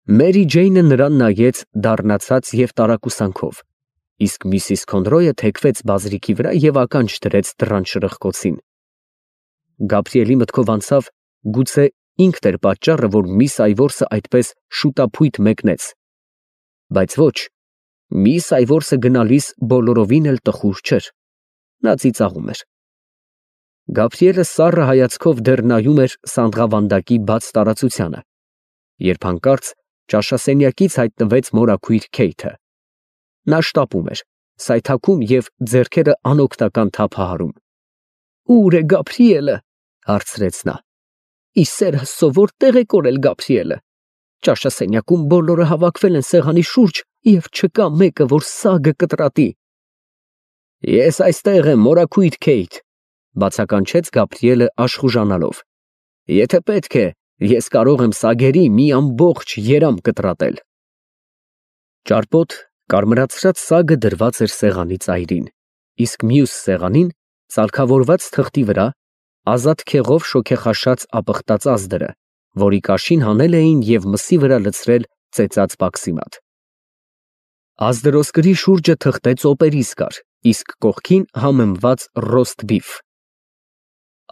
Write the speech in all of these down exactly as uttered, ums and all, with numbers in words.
Մերի Ջեյնը նրան նայեց դառնացած և տարակուսանքով, իսկ միսիս Քոնրոյը թեքվեց բազրիքի վրա և ականջ դրեց դռան շրխկոցին։ Գաբրիելի մտքով անցավ, գուցե ինքն էր պատճառը, որ միս Այվորսը այդպես շուտափույթ մեկնեց, բայց ոչ, միս Այվորսը գնալիս բոլորովին էլ տխուր չէր, նա ծիծաղում էր։ Գաբրիելը սառը հայացքով դեռ նայում էր սանդղավանդակի բաց տարածությանը, երբ հանկարծ ճաշասենյակից հայտնվեց մորաքույր Քեյթը։ Նա շտապում էր, սայթաքում և ձեռքերը անօգնական թափահարում։ «Ո՞ւր է Գաբրիելը» հարցրեց նա։ «Ի սեր Աստծո, որտե՞ղ է կորել Գաբրիելը։ Ճաշասենյակում բոլորը հավաքվել են սեղանի շուրջ և չկա մեկը, որ սագը կտրատի»։ «Ես այստեղ եմ, մորաքույր Քեյթ», բացականչեց Գաբրիելը աշխուժանալով։ «Եթե պետք է, ես կարող եմ սագերի մի ամբողջ երամ կտրատել»։ Ճարպոտ, կարմրացրած սագը դրված էր սեղանի ծայրին, իսկ մյուս սեղանին, ծալքավորված թղթի վրա, ազատ քեղով շոգեխաշած ապխտած ազդրը, որի կաշին հանել էին և մսի վրա լցրել ծեծած բաքսիմատ։ Ազդրոսկրի շուրջը թղթե ծոպերիս կար, իսկ կողքին համեմված ռոստ բիֆ։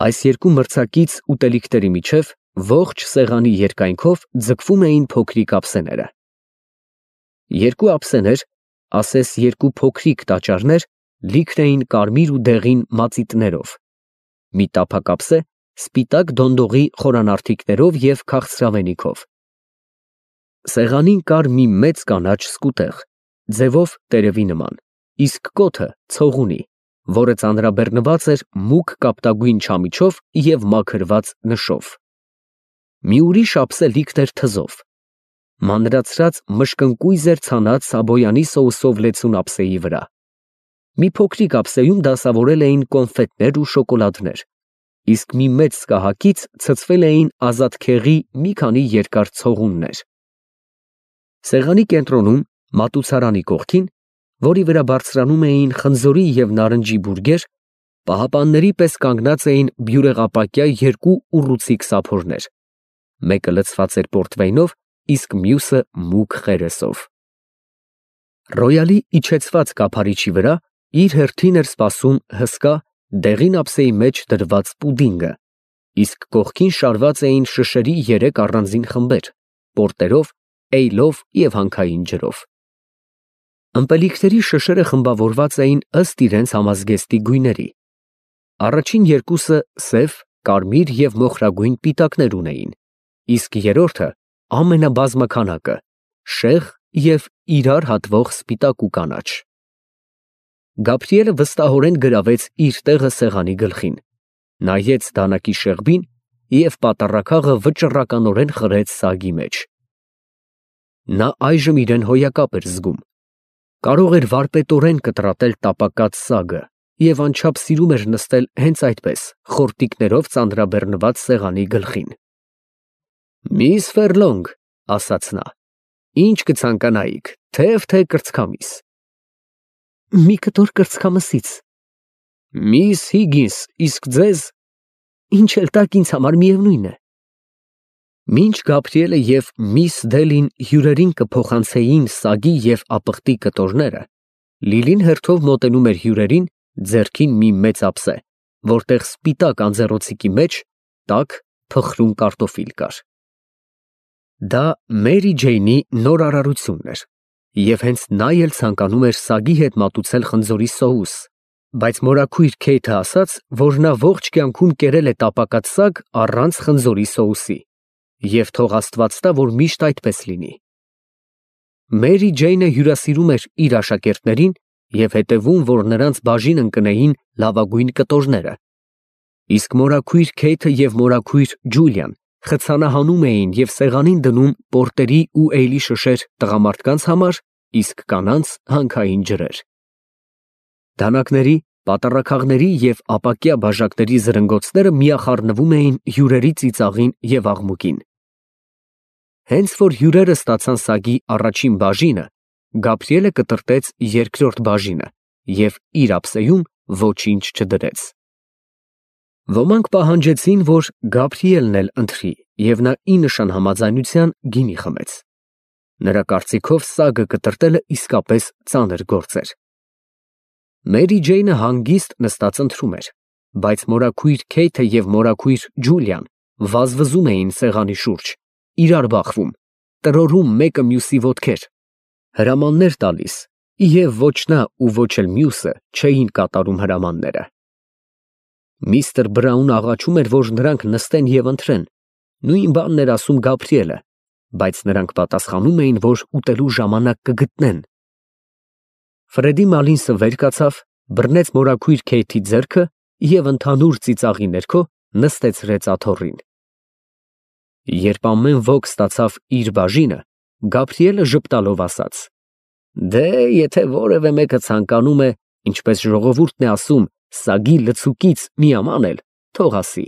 Այս երկու մրցակից ուտելիքների միջև ողջ սեղանի երկայնքով ձգվում էին փոքրիկ ափսեները։ Երկու ափսեներ, ասես երկու փոքրիկ տաճարներ, լիքն էին կարմիր ու դեղին մածիտներով, մի տափակ ափսե սպիտակ դոնդողի խորանարդիկներով և քաղցրավենիքով։ Սեղանին կար մի մեծ կանաչ սկուտեղ, ձևով տերևի նման, իսկ կոթը ցողունի, որը ծանրաբեռնված էր մուգ կապտագույն չամիչով և մաքրված նշով։ Մի ուրիշ ափսե լիքն էր թզով։ Մանրացրած մշկընկույզ էր ցանած սաբոյանի սոուսով լեցուն ափսեի վրա։ Մի փոքրիկ ափսեում դասավորել էին կոնֆետներ ու շոկոլադներ, իսկ մի մեծ սկահակից ցցվել էին ազատքեղի մի քանի երկար ցողուններ։ Սեղանի կենտրոնում, մատուցարանի կողքին, որի վրա բարձրանում էին խնձորի և նարնջի բուրգեր, պահապանների պես կանգնած էին բյուրեղապակյա երկու ուռուցիկ սափորներ, մեկը լցված էր պորտվեյնով, իսկ մյուսը մուգ խերեսով։ Ռոյալի իջեցված կափարիչի վրա իր հերթին էր սպասում հսկա, դեղին ափսեի մեջ դրված պուդինգը, իսկ կողքին շարված էին շշերի երեք առանձին խմբեր՝ պորտերով, էյլով և հանքային ջրով։ Ըմպելիքների շշերը խմբավորված էին ըստ իրենց համազգեստի գույների։ Առաջին երկուսը սև, կարմիր և մոխրագույն պիտակներ ունեին, իսկ երրորդը ամենաբազմաքանակը՝ շեղ և իրար հատվող սպիտակ ու կանաչ։ Գաբրիելը վստահորեն գրավեց իր տեղը սեղանի գլխին, նայեց դանակի շեղբին և պատառաքաղը վճռականորեն խրեց սագի մեջ։ Նա այժմ իրեն հոյակապ էր զգում, կարող էր վարպետորեն կտրատել տապակած սագը և անչափ սիրում էր նստել հենց այդպես, խորտիկներով ծանրաբեռնված սեղանի գլխին։ «Միս Ֆերլոնգ», ասաց նա, «ինչ կցանկանայիք, թեև թե կրծքամիս»։ «Մի կտոր կրծքամսից»։ «Միս Հիգինս, իսկ ձեզ»։ «Ինչ էլ տաք, ինձ համար միևնույն է»։ Մինչ Գաբրիելը և միս Դելին հյուրերին կփոխանցեին սագի և ապխտի կտորները, Լիլին հերթով մոտենում էր հյուրերին, ձեռքին մի մեծ ափսե, որտեղ սպիտակ անձեռոցիկի մեջ տաք, փխրուն կարտոֆիլ կար։ Դա Մերի Ջեյնի նոր արարությունն էր, և հենց նա էլ ցանկանում էր սագի հետ մատուցել խնձորի սոուս, բայց մորաքույր Քեյթը ասաց, որ նա ողջ կյանքում կերել է տապակած սագ առանց խնձորի սոուսի, և թող Աստված տա, որ միշտ այդպես լինի։ Մերի Ջեյնը հյուրասիրում էր իր աշակերտներին և հետևում, որ նրանց բաժին ընկնեին լավագույն կտորները, իսկ մորաքույր Քեյթը և մորաքույր Ջուլիան խցանահանում էին և սեղանին դնում պորտերի ու էյլի շշեր տղամարդկանց համար, իսկ կանանց հանքային ջրեր։ Դանակների, պատառաքաղների և ապակյա բաժակների զրնգոցները միախառնվում էին հյուրերի ծիծաղին և աղմուկին։ Հենց որ հյուրերը ստացան սագի առաջին բաժինը, Գաբրիելը կտրտեց երկրորդ բաժինը և իր ափսեում ոչինչ չդրեց։ Ոմանք պահանջեցին, որ Գաբրիելն էլ ընթրի, և նա ի նշան համաձայնության գինի խմեց։ Նրա կարծիքով սագը կտրտելը իսկապես ծանր գործ էր։ Մերի Ջեյնը հանգիստ նստած ընթրում էր, բայց մորաքույր Քեյթը և մորաքույր Ջուլիան վազվզում էին սեղանի շուրջ, իրար բախվում, տրորում մեկը մյուսի ոտքեր, հրամաններ տալիս, և ոչ նա ու ոչ էլ մյուսը չէին կատարում հրամանները։ Միստր Բրաունը աղաչում էր, որ նրանք նստեն և ընթրեն, նույն բանն էր ասում Գաբրիելը, բայց նրանք պատասխանում էին, որ ուտելու ժամանակ կգտնեն։ Ֆրեդի Մալինսը վեր կացավ, բռնեց մորաքույր Քեյթի ձեռքը և ընդհանուր ծիծաղի ներքո նստեցրեց աթոռին։ Երբ ամեն ոք ստացավ իր բաժինը, Գաբրիելը ժպտալով ասաց. «Դե, եթե որևէ մեկը ցանկանում է, ինչպես ժողովուրդն է ասում, սագի լցուկից մի աման էլ, թող ասի»։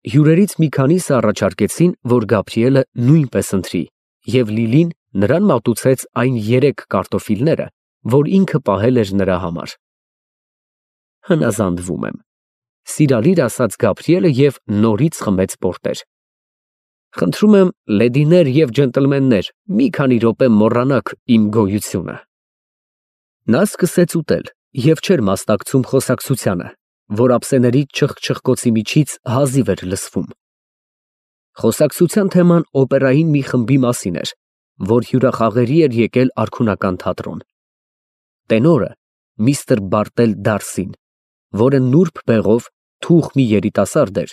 Հյուրերից մի քանիսը առաջարկեցին, որ Գաբրիելը նույնպես ընթրի, և Լիլին նրան մատուցեց այն երեք կարտոֆիլները, որ ինքը պահել էր նրա համար։ Հնազանդվում եմ, ֊ սիրալիր ասաց Գաբրիելը և նորից խմեց պորտեր։ Խնդրում եմ, լեդիներ և ջենտլմեններ, մի քանի րոպե մոռանաք իմ գոյությունը։ Նա սկսեց ուտել և չէր մասնակցում խոսակցությանը, որ ափսեների չխչխկոցի միջից հազիվ էր լսվում։ Խոսակցության թեման օպերային մի խմբի մասին էր, որ հյուրախաղերի էր եկել արքունական թատրոն։ Տենորը միստր Բարտել Դարսին, որը նուրբ բեղով թուխ մի երիտասարդ էր,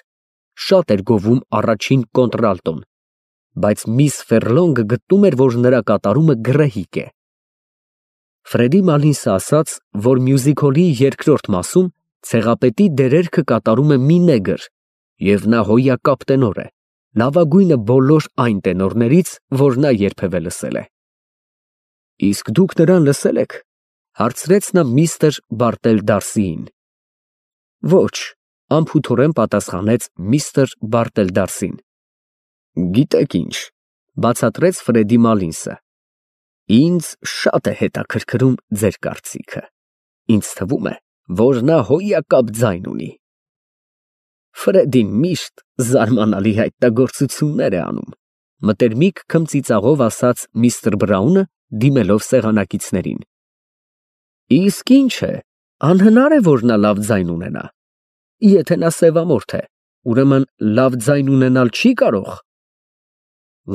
շատ էր գովում առաջին կոնտրալտոն, բայց միս Ֆեռլոնգը գտնում էր, որ նրա կատարումը գռեհիկ է։ Ֆրեդի Մալինսը ասաց, որ մյուզիքոլի երկրորդ մասում ցեղապետի դերերքը կատարում է մի նեգր, և նա հոյակապ տենոր է, լավագույնը բոլոր այն տենորներից, որ նա երբևէ լսել է։ Իսկ դուք նրան լսե՞լ եք, ֊ հարցրեց նա միստր Բարտել Դարսիին։ Ոչ, ֊ անփութորեն պատասխանեց միստր Բարտել Դարսին։ Գիտեք ինչ, ֊ բացատրեց Ֆրեդի Մալինսը, ինձ շատ է հետաքրքրում ձեր կարծիքը, ինձ թվում է, որ նա հոյակապ ձայն ունի։ Ֆրեդին միշտ զարմանալի հայտնագործություններ է անում, ֊ մտերմիկ քմծիծաղով ասաց միստր Բրաունը, դիմելով սեղանակիցներին։ Իսկ ինչ է, անհնար է, որ նա լավ ձայն ունենա։ Եթե նա սևամորթ է, ուրեմն լավ ձայն ունենալ չի կարող։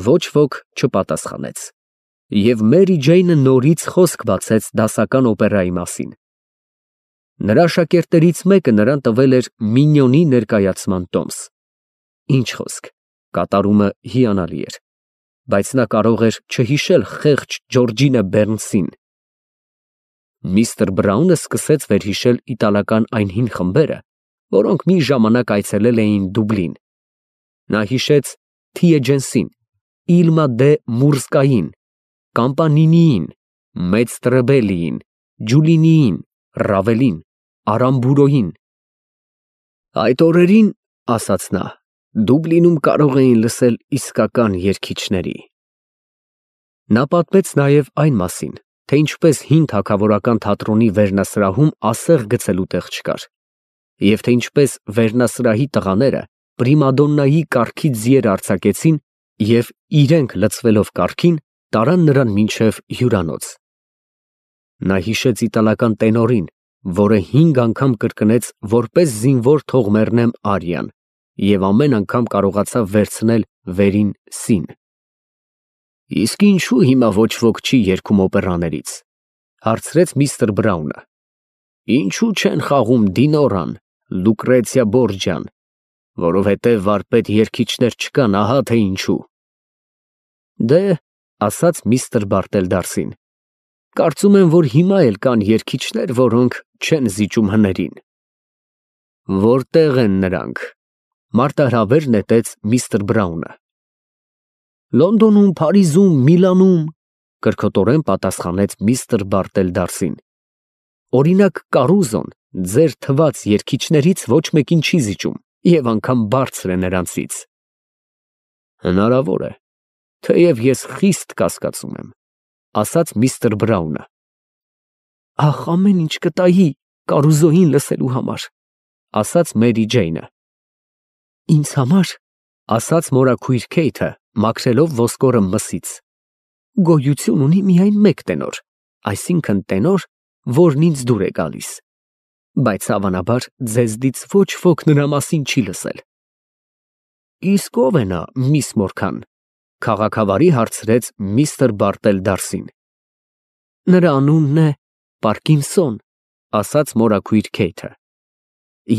Ոչ ոք չպատասխանեց, և Մերի Ջեյնը նորից խոսք բացեց դասական օպերայի մասին։ Նրա շակերտներից մեկը նրան տվել էր Մինյոնի ներկայացման տոմս։ Ինչ խոսք, կատարումը հիանալի էր, բայց նա կարող էր չհիշել խեղճ Ջորջինա Բեռնսին։ Միստր Բրաունը սկսեց վերհիշել իտալական այն հին խմբերը, որոնք մի ժամանակ այցելել էին Դուբլին։ Նա հիշեց Թիեջենսին, Իլմա դե Մուրսկային, Կամպանինիին, Մեծ Տրեբելիին, Ջուլինիին, Ռավելին, Արամբուրոյին։ Այդ օրերին, ֊ ասաց նա, ֊ Դուբլինում կարող էին լսել իսկական երգիչների։ Նա պատմեց նաև այն մասին, թե ինչպես հին թագավորական թատրոնի վերնասրահում ասեղ գցելու տեղ չկար, և թե ինչպես վերնասրահի տղաները պրիմադոննայի կառքի ձիեր արձակեցին և, իրենք լցվելով կառքին, տարան նրան մինչև հյուրանոց։ Նա հիշեց իտալական տենորին, որը հինգ անգամ կրկնեց որպես զինվոր թող մեռնեմ արիան և ամեն անգամ կարողացավ վերցնել վերին սին։ Իսկ ինչու հիմա ոչ ոք չի երգում օպերաներից, ֊ հարցրեց միստր Բրաունը։ Ինչու չեն խաղում Դինորան, Լուկրեցիա Բորջան, որովհետև վարպետ երգիչներ չկան, ահա թե ինչու։ Դե, ֊ ասաց միստր Բարտել Դարսին, ֊ կարծում եմ, որ հիմա էլ կան երգիչներ, որոնք չեն զիջում հներին։ Որտե՞ղ են նրանք, ֊ մարտահրավեր նետեց միստր Բրաունը։ Լոնդոնում, Փարիզում, Միլանում, ֊ կրքոտորեն պատասխանեց միստր Բարտել Դարսին։ Օրինակ Կարուզոն ձեր թված երգիչներից ոչ մեկին չի զիջում և անգամ բարձր է նրանցից։ Հնարավոր է, թեև ես խիստ կասկածում եմ, ֊ ասաց միստր Բրաունը։ Ահ, ամեն ինչ կտայի Կարուզոյին լսելու համար, ֊ ասաց Մերի Ջեյնը։ Ինձ համար, ֊ ասաց մորաքույր Քեյթը, մաքրելով ոսկորը մսից, գոյություն ունի միայն մեկ տենոր, այսինքն տենոր, որն ինձ դուր է գալիս, բայց հավանաբար ձեզնից ոչ ոք նրա մասին չի լսել։ Իսկ ո՞վ է նա, միս Մորքան, քաղաքավարի հարցրեց միստր Բարտել Դարսին։ Նրա անունն է Պարկինսոն, ասաց մորաքույր Քեյթը։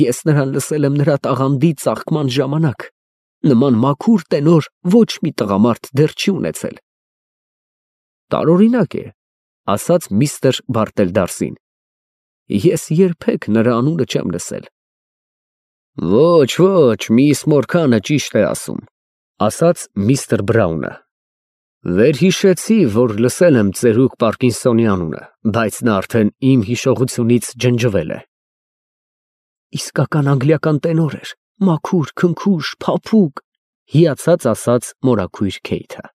Ես նրան լսել եմ նրա տաղանդի ծաղկման ժամանակ, նման մաքուր տենոր ոչ մի տղամարդ դեռ չի ունեցել։ Տարօրինակ է, ասաց միստր Բարտել Դարսին։ Ես երբեք նրա անունը չեմ լսել։ Ոչ, ոչ, միս Մորքանը ճիշտ է ասում, ասաց միստր Բրաունը։ Վերհիշեցի, որ լսել եմ ծերուկ Պարկինսոնի անունը, բայց նա արդեն իմ հիշողությունից ջնջվել է։ Իսկական անգլիական տենոր էր, մաքուր, քնքուշ, փափուկ, հիացած ասաց մորաքույր Քեյթը։